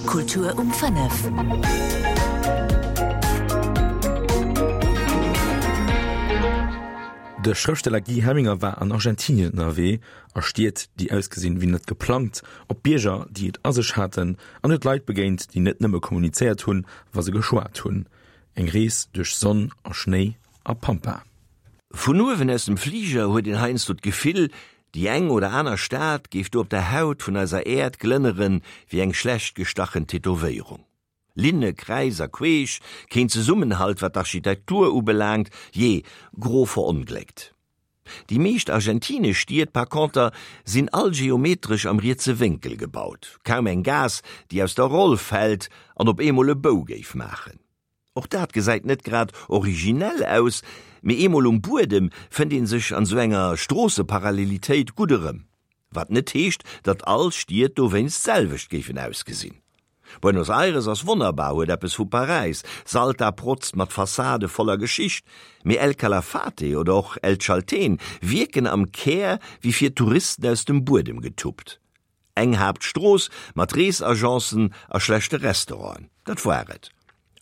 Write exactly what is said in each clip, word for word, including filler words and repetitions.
Kultur um fënnef. De Schrëftsteller Guy Helminger war an Argentinien ënnerwee, a Stied, déi ausgesinn wéi net geplangt, op Bierger, déi et a sech haten, an huet Leit begéint, déi net nëmme kommunizéiert hunn, wa se geschwat hunn. Eng Rees duerch Sonn a Schnéi a Pampa. Vun uewen aus dem Fliger huet een heiansdo d'Gefill, déi eng oder aner Stad géif do op der Haut vun eiser Äerd glënnere wéi eng schlecht gestachen Tätowéierung. Linne kräis a queesch, keen Zesummenhalt wat d'Architektur ubelaangt, jee, gro verongléckt. Déi meescht argentinesch Stied par conter sinn all geometresch am rietse Wénkel gebaut, kaum eng Gaass, déi aus der Roll fält an op eemol e Bou géif maachen. Och dat gesäit net grad originell aus, mee eemol um Buedem fënnt ee sech an sou enger Stroosseparallelitéit gutt erëm. Wat net heescht, datt all Stied dowéinst d'selwecht géifen ausgesinn. Buenos Aires ass wonnerbar, huet eppes vu Paräis, Salta protzt mat Fassade voller Geschicht, mee El Calafate oder och El Chaltén wierken am Kär wéi fir Touristen aus dem Buedem getuppt. Eng Haaptstrooss mat Reesagencen a schlechte Restauranten, dat war et.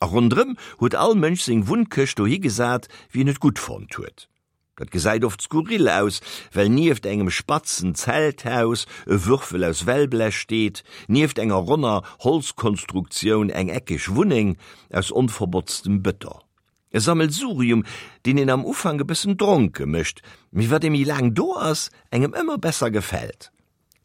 A ronderëm huet all Mënsch seng Wunnkëscht dohi gesat, wéi en et gutt fonnt huet. Dat gesäit oft skurril aus, well nieft engem spatzen Zelthaus e Würfel aus Wellblech steet, nieft enger ronner Holzkonstruktioun eng eckeg Wunneng aus onverbotztem Bëton. E Sammelsurium, deen een am Ufank e bëssen dronke mécht, mee wat ee méi laang do ass, engem ëmmer besser gefält.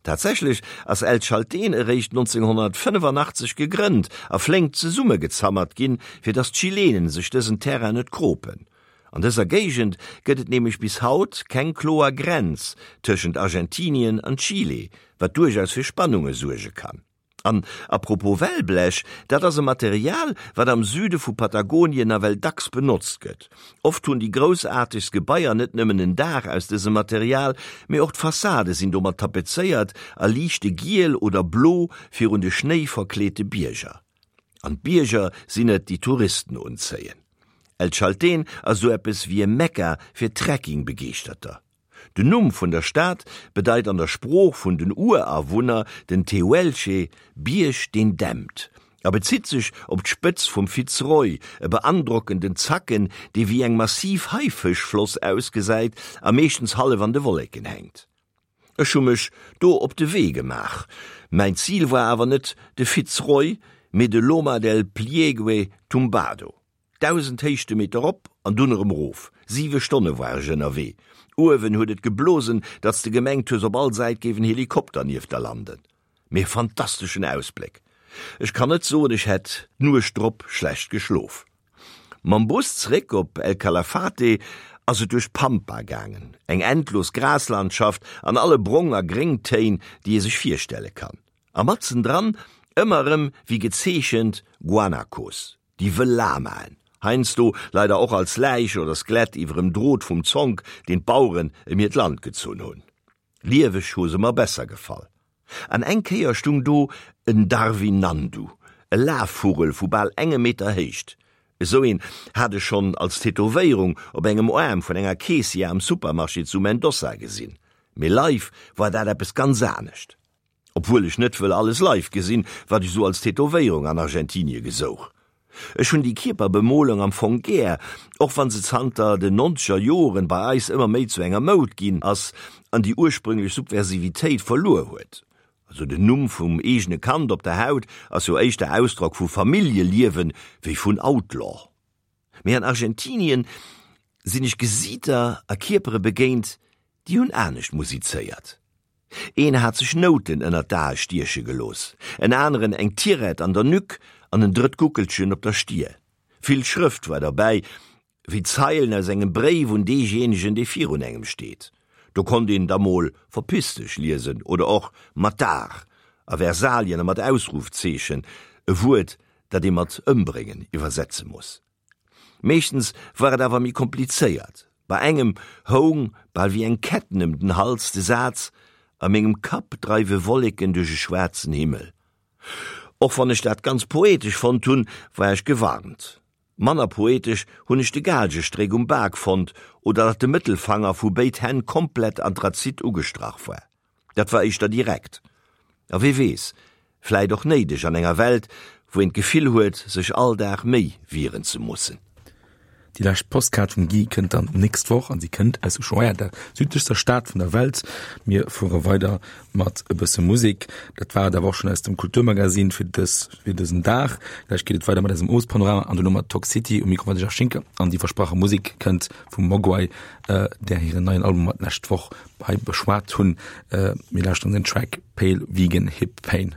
Tatsächlech ass El Chaltén eréischt nonzénghonnertfënnefannachtzeg gegrënnt a flénk zesummegezammert ginn, fir datt d'Chilenen sech dësen Terrain net kropen. An dëser Géigend gëtt et nämlech bis haut keng kloer Grenz tëschent Argentinien an Chile, wat duerchaus fir Spannunge suerge kann. An à propos Wellblech, dat ass e Material, wat am Süde vu Patagonien nawell dacks benotzt gëtt. Oft hunn déi groussaartegst Gebaier net nëmmen en Daach aus dësem Material, mee och d'Fassade sinn domat tapezéiert a liichte giel oder blo virun de schnéiverkleete Bierger. An d'Bierger sinn et, déi d'Touristen unzéien. El Chaltén ass esou eppes wéi e Mekka fir Trekking-Begeeschterter. Den Numm vun der Stad bedeit an der Sprooch vun den Urawunner, den Tehuelche, Bierg deen dämpt, a bezitt sech op d'Spëtz vum Fitz Roy, e beandrockenden Zacken, dee wéi eng massiv Haifëschfloss ausgesäit a meeschtens hallef an de Wolleken hänkt. Ech hu mech do op de Wee gemaach. Mäin Zil war awer net de Fitz Roy, mee de Loma del Pliegue Tumbado. Dausend Héichtemeter rop an dunn erëm erof. Siwe Stonne war ech ënnerwee. Uewen huet et geblosen, datt s de gemengt hues, op all Säit géif en Helikopter nieft der landen. Mee e fantasteschen Ausbléck. Ech kann net soen, ech hätt d'Nuecht drop schlecht geschlof. Mam Bus zeréck op El Calafate ass et duerch d'Pampa gaangen, eng endlos Graslandschaft an alle Brong a Gréngtéin, déi ee sech virstelle kann. A matzen dran, ëmmer erëm wéi gezeechent, Guanacos. Déi wëll Lamaen, heiansdo leider och als Läich oder Skelett iwwerem Drot vum Zonk, deen d'Baueren ëm hiert Land gezunn hunn. Lieweg hu se mer besser gefall. An eng Kéier stung do en Darwin-Nandu, e Lafvugel vu bal engem Meter Héicht. Esou een hat ech schonn als Tätowéierung op engem Aarm vun enger Keessière am Supermarché zu Mendoza gesinn. Mee live war dat eppes ganz anescht. Obwuel ech net wëll alles live gesinn, wat ech sou als Tätowéierung an Argentinie gesouch. Ech hunn déi Kierperbemolung am Fong gär, och wann se zanter den nonzeger Joren bei eis ëmmer méi zu enger Moud ginn ass an déi ursprünglech Subversivitéit verluer huet. Also den Numm vum eegene Kand op der Haut ass jo éischter Ausdrock vu Familljeliewen wéi vun Outlaw. Mee an Argentinien sinn ech Gesiiter a Kierpere begéint, déi hunn anescht musizéiert. Een hat sech Nouten ënnert d'Ae stieche gelooss, en aneren eng Tirett an der Nuque an en drëtt Guckelchen op der Stier. Vill Schrëft war derbäi, wéi Zeilen aus engem Bréif un deejéinegen, dee virun engem steet. Do konnt een da mol Verpiss dech liesen oder och Matar a Versalien a mat Ausrufzeechen, e Wuert, dat ee mat ëmbréngen iwwersetze muss. Meeschtens war et awer méi komplizéiert. Bei engem houng, bal wéi eng Ketten ëm den Hals, de Saz, A mengem Kapp dreiwe Wolleken duerch e schwaarzen Himmel. Och wann ech dat ganz poetesch fonnt hunn, war ech gewarnt. Manner poetesch hunn ech de Gaalgestréck um Bak fonnt oder datt de Mëttelfanger vu béid Hänn komplett Anthrazit ugestrach war. Dat war éischter direkt. A wee weess, Vläit och néideg an enger Welt, wou een d'Gefill huet, sech all Dag méi wieren ze mussen. Déi lescht Postkaart vum Guy kënnt dann d'nächst Woch an si kënnt aus Ushuaia, der südlechster Stad vun der Welt. Mir fuere weider mat e bësse Musek. Dat war et awer och schonn aus dem Kulturmagazin fir dës, fir dësen Dag. Gläich geet et weider mat eisem Owespanorama an duerno mat Talk City. Um Mikro war de Jeff Schinker an déi versprache Musek kënnt vum Mogwai, där hiren neien Album mer d'lescht Woch hei beschwat hunn. Mir lauschteren den Track Pale Vegan Hip Pain.